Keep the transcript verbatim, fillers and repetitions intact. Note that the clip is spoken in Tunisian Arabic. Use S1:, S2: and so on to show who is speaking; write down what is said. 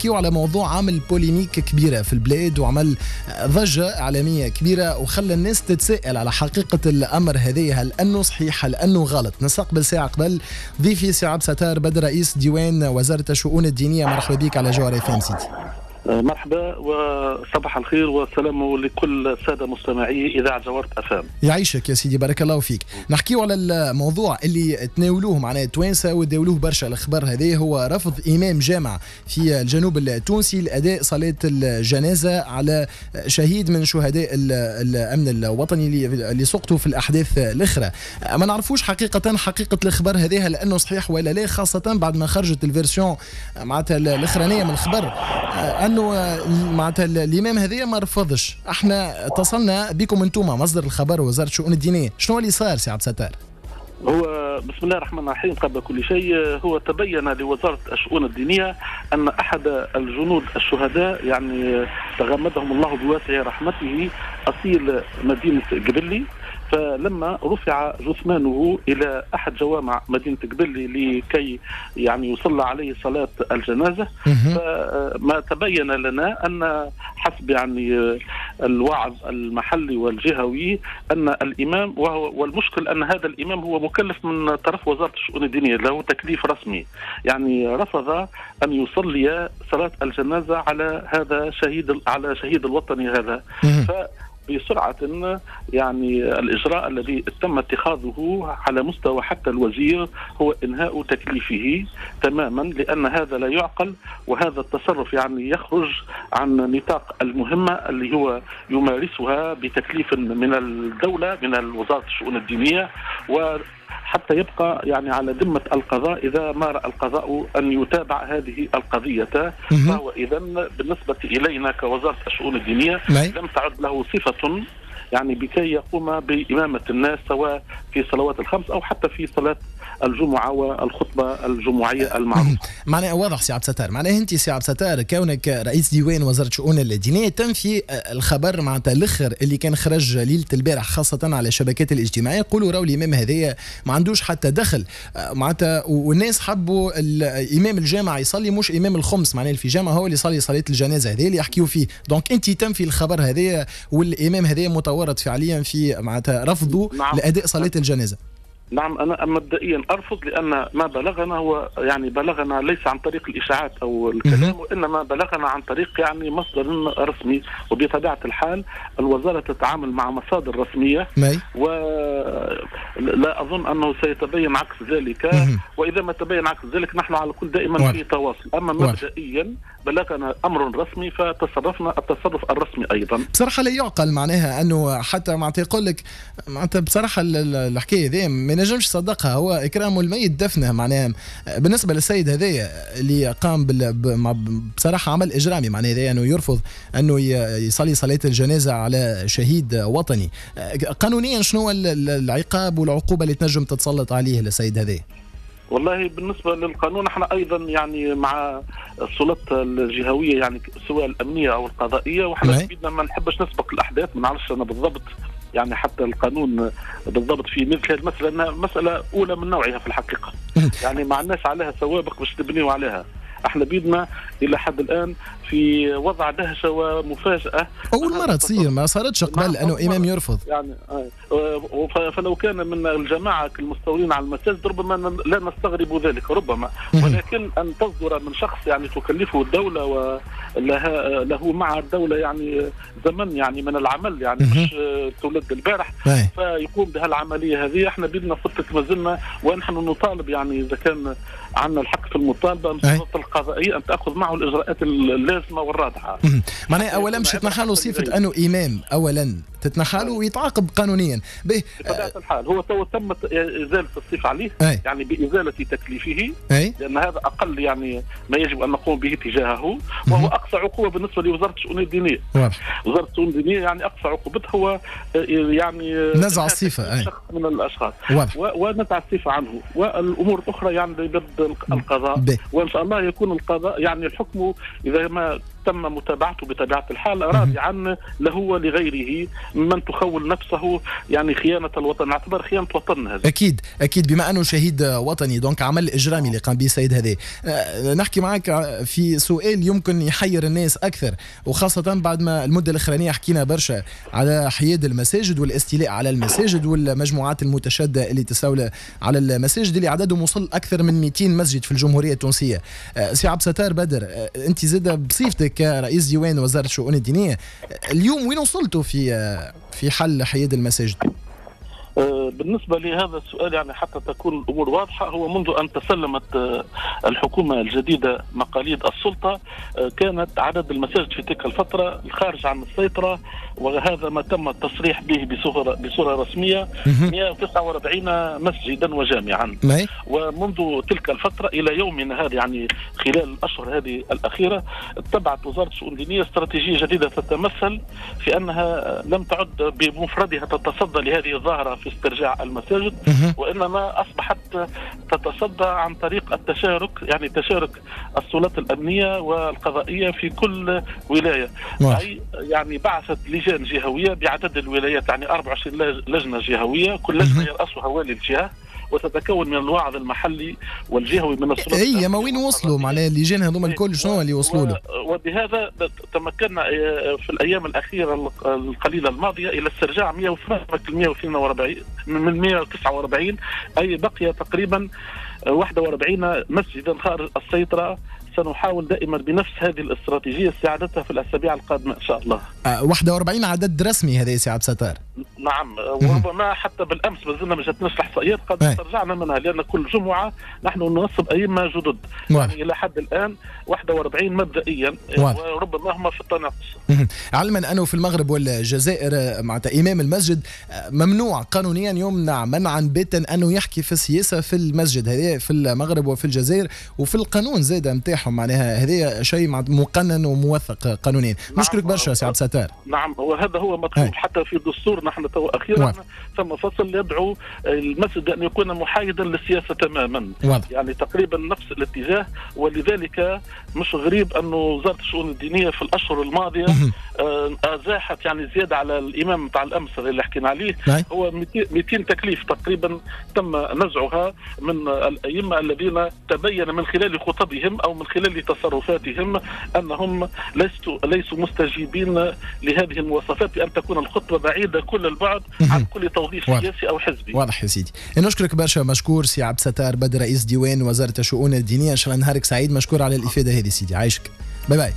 S1: نحكيو على موضوع عامل polémique كبيرة في البلاد وعمل ضجة إعلامية كبيرة وخلى الناس تتساءل على حقيقة الأمر هذه، هل أنه صحيح هل أنه غلط؟ نستقبل ساعة قبل ضيفي سي عبد ستار بدر رئيس ديوان وزارة الشؤون الدينية. مرحبا بك على جوهرة اف ام سيدي.
S2: مرحبا وصباح الخير والسلام لكل السادة مستمعي اذاعة جوهرة اف ام.
S1: يعيشك يا سيدي، بارك الله فيك. نحكيو على الموضوع اللي تناولوه معناه التوانسة وداولوه برشا الخبر هذا، هو رفض امام جامع في الجنوب التونسي لاداء صلاة الجنازة على شهيد من شهداء الامن الوطني اللي سقطوا في الاحداث الاخرى. ما نعرفوش حقيقة حقيقة الخبر هذا هل انه صحيح ولا لا، خاصة بعد ما خرجت ال version معناتها الاخرانية من الخبر انه معناتها الامام هذايا ما رفضش. احنا اتصلنا بكم انتم مصدر الخبر وزارة الشؤون الدينية، شنو اللي صار سي عبد الستار؟
S2: هو بسم الله الرحمن الرحيم، قبل كل شيء هو تبين لوزارة الشؤون الدينية ان احد الجنود الشهداء يعني تغمدهم الله بواسع رحمته اصيل مدينة قبلي، فلما رفع جثمانه الى احد جوامع مدينة قبلي لكي يعني يصلى عليه صلاة الجنازة، فما تبين لنا ان حسب يعني الوعظ المحلي والجهوي ان الامام، وهو والمشكل ان هذا الامام هو مكلف من طرف وزارة الشؤون الدينية، له تكليف رسمي، يعني رفض ان يصلي صلاة الجنازة على هذا شهيد على شهيد الوطني هذا. ف بسرعة يعني الإجراء الذي تم اتخاذه على مستوى حتى الوزير هو إنهاء تكليفه تماما، لأن هذا لا يعقل، وهذا التصرف يعني يخرج عن نطاق المهمة اللي هو يمارسها بتكليف من الدولة من وزارة الشؤون الدينية، و حتى يبقى يعني على ذمة القضاء إذا ما رأى القضاء أن يتابع هذه القضية. فهو إذن بالنسبة إلينا كوزارة الشؤون الدينية لم تعد له صفة يعني بكي يقوم بإمامة الناس سواء في صلوات الخمس أو حتى في صلاة الجمعة والخطبة الجمعية المعروفة.
S1: معناه واضح سي عبد الستار، معناه أنت سي عبد الستار كونك رئيس ديوان وزارة الشؤون الدينية تنفي الخبر معناتها الأخر اللي كان خرج ليلة البارح خاصة على الشبكات الاجتماعية، يقولوا راهو الإمام هذايا ما عندوش حتى دخل معناتها، والناس حبوا الإمام الجامع يصلي مش إمام الخمس، معناه في جامع هو اللي يصلي صلاة الجنازة هذه اللي يحكيوا فيه. donc أنت تنفي الخبر هذايا والإمام هذايا متورط فعليا في معناتها رفضه نعم. لأداء صلاة الجنازة.
S2: نعم، أنا مبدئيا أرفض، لأن ما بلغنا هو يعني بلغنا ليس عن طريق الإشاعات أو الكلام، وإنما بلغنا عن طريق يعني مصدر رسمي، وبطبيعة الحال الوزارة تتعامل مع مصادر رسمية، ولا أظن أنه سيتبين عكس ذلك، وإذا ما تبين عكس ذلك نحن على كل دائما في تواصل. أما مبدئيا بلغنا أمر رسمي فتصرفنا التصرف الرسمي أيضا.
S1: بصراحة لا يعقل معناها أنه حتى معناتها يقول لك معناتها بصراحة الحكاية ذي ما نجمش صدقها، هو إكرام الميت دفنه. معناها بالنسبة للسيد هذايا اللي قام بال... بصراحة عمل إجرامي، معناها هذايا أنه يرفض أنه يصلي صلاة الجنازة على شهيد وطني، قانونيا شنو العقاب والعقوبة اللي تنجم تتسلط عليه للسيد هذايا؟
S2: والله بالنسبة للقانون احنا أيضا يعني مع السلطات الجهوية يعني سواء الأمنية أو القضائية، وحنا بيدنا ما نحبش نسبق الأحداث، ما نعرفش أنا بالضبط يعني حتى القانون بالضبط في مثل هذه المسألة، أنها مسألة أولى من نوعها في الحقيقة، يعني ما عندناش عليها سوابق باش نبنيو عليها. احنا بيدنا الى حد الان في وضع دهشة ومفاجاه،
S1: اول مرة تصير، ما صارتش قبل انه امام يرفض
S2: يعني. فلو كان من الجماعة المستولين على المساجد ربما لا نستغرب ذلك ربما، ولكن ان تصدر من شخص يعني تكلفة الدولة ولها له مع الدولة يعني زمن يعني من العمل يعني مش تولد البارح فيقوم بهالعمليه هذه. احنا بيدنا قلت ما زلنا ونحن نطالب يعني اذا كان عندنا الحق في المطالبة من السلطة القضائية ان تاخذ معه الاجراءات اللازمة والرادعه.
S1: معناها اولا مش تتنحى له صفة انه امام، اولا تتنحى له ويتعاقب قانونيا.
S2: به بطبيعة الحال هو تو تمت ازالة الصفة عليه أي. يعني بازالة تكليفه أي. لان هذا اقل يعني ما يجب ان نقوم به تجاهه، وهو اقصى عقوبه بالنسبة لوزارة الشؤون الدينية. واضح. وزارة الشؤون الدينية يعني اقصى عقوبتها هو يعني
S1: نزع الصفة أي.
S2: شخص من الاشخاص ونزع الصفة عنه، والامور الاخرى يعني بيد القضاء. ب. وان شاء الله يكون القضاء يعني الحكم اذا ما تم متابعته بطبيعة الحال رادعا له ولغيره من تخول نفسه يعني خيانة الوطن، اعتبر خيانة وطن هذا.
S1: أكيد أكيد، بما أنه شهيد وطني donc عمل إجرامي اللي قام به السيد هذا. نحكي معك في سؤال يمكن يحير الناس أكثر، وخاصة بعد ما المدة الأخرانية حكينا برشا على حياد المساجد والاستيلاء على المساجد والمجموعات المتشددة اللي تستولى على المساجد اللي عددهم وصل أكثر من مئتين مسجد في الجمهورية التونسية. سي عبد الستار بدر، أنت زاد بصفتك كرئيس ديوان وزارة الشؤون الدينية، اليوم وين وصلتوا في في حل حياد المساجد؟
S2: بالنسبة لهذا السؤال يعني حتى تكون الأمور واضحة، هو منذ أن تسلمت الحكومة الجديدة مقاليد السلطة كانت عدد المساجد في تلك الفترة الخارج عن السيطرة، وهذا ما تم التصريح به بصورة, بصورة رسمية مئة وتسعة وأربعين مسجدا وجامعا. ومنذ تلك الفترة إلى يومنا هذا يعني خلال الأشهر هذه الأخيرة اتبعت وزارة الشؤون الدينية استراتيجية جديدة تتمثل في أنها لم تعد بمفردها تتصدى لهذه الظاهرة في استرجاع المساجد، وإنما أصبحت تتصدى عن طريق التشارك، يعني تشارك السلطات الأمنية والقضائية في كل ولاية. أي يعني بعثت لجان جهوية بعدد الولايات، يعني أربعة وعشرين لجنة جهوية، كل لجنة يرأسها والي الجهة، وتتكون من الواعظ المحلي والجهوي من السلطات.
S1: اي ما وين وصلوا معناها اللجان هذوما الكل شنو اللي وصلوا له؟
S2: وبهذا تمكنا في الايام الاخيرة القليلة الماضية الى استرجاع مئة وثمانية وأربعين من مئة وتسعة وأربعين، اي بقي تقريبا واحد وأربعين مسجدا خارج السيطرة. سنحاول دائما بنفس هذه الاستراتيجية استعادتها في الأسابيع القادمة إن شاء الله.
S1: أه واحد وأربعين عدد رسمي هذا يا سي عبد الستار؟
S2: نعم، وربما حتى بالأمس ما زلنا ما جاتناش الإحصائيات قد استرجعنا منها، لأن كل جمعة نحن ننصب أئمة جدد. يعني إلى حد الآن واحد وأربعين مبدئيا، وربما هم في التناقص.
S1: علما أنه في المغرب والجزائر معناتها إمام المسجد ممنوع قانونيا، يمنع منعا باتا أنه يحكي في السياسة في المسجد، هذا في المغرب وفي الجزائر، وفي القانون زاد نتاعهم معناها هذا شيء مقنن وموثق قانونيا. نشكرك برشا سي عبد الستار.
S2: نعم، وهذا هو مطلوب حتى في الدستور. نحن تو اخيرا ثم فصل يدعو المسجد ان يكون محايدا للسياسة تماما. واضح. يعني تقريبا نفس الاتجاه، ولذلك مش غريب انه وزارة الشؤون الدينية في الاشهر الماضية ازاحت يعني زيادة على الامام تاع الامس اللي حكينا عليه، هو مئتين تكليف تقريبا تم نزعها من الائمة الذين تبين من خلال خطبهم او من خلال تصرفاتهم انهم ليسوا ليسوا مستجيبين لهذه المواصفات، بان تكون الخطبة بعيدة كل البعد عن كل توظيف سياسي او حزبي.
S1: واضح يا سيدي. نشكرك برشا، مشكور سي عبد الستار بدر رئيس ديوان وزارة الشؤون الدينية. ان شاء الله نهارك سعيد، مشكور على الافادة هذه سيدي، عايشك. bye bye.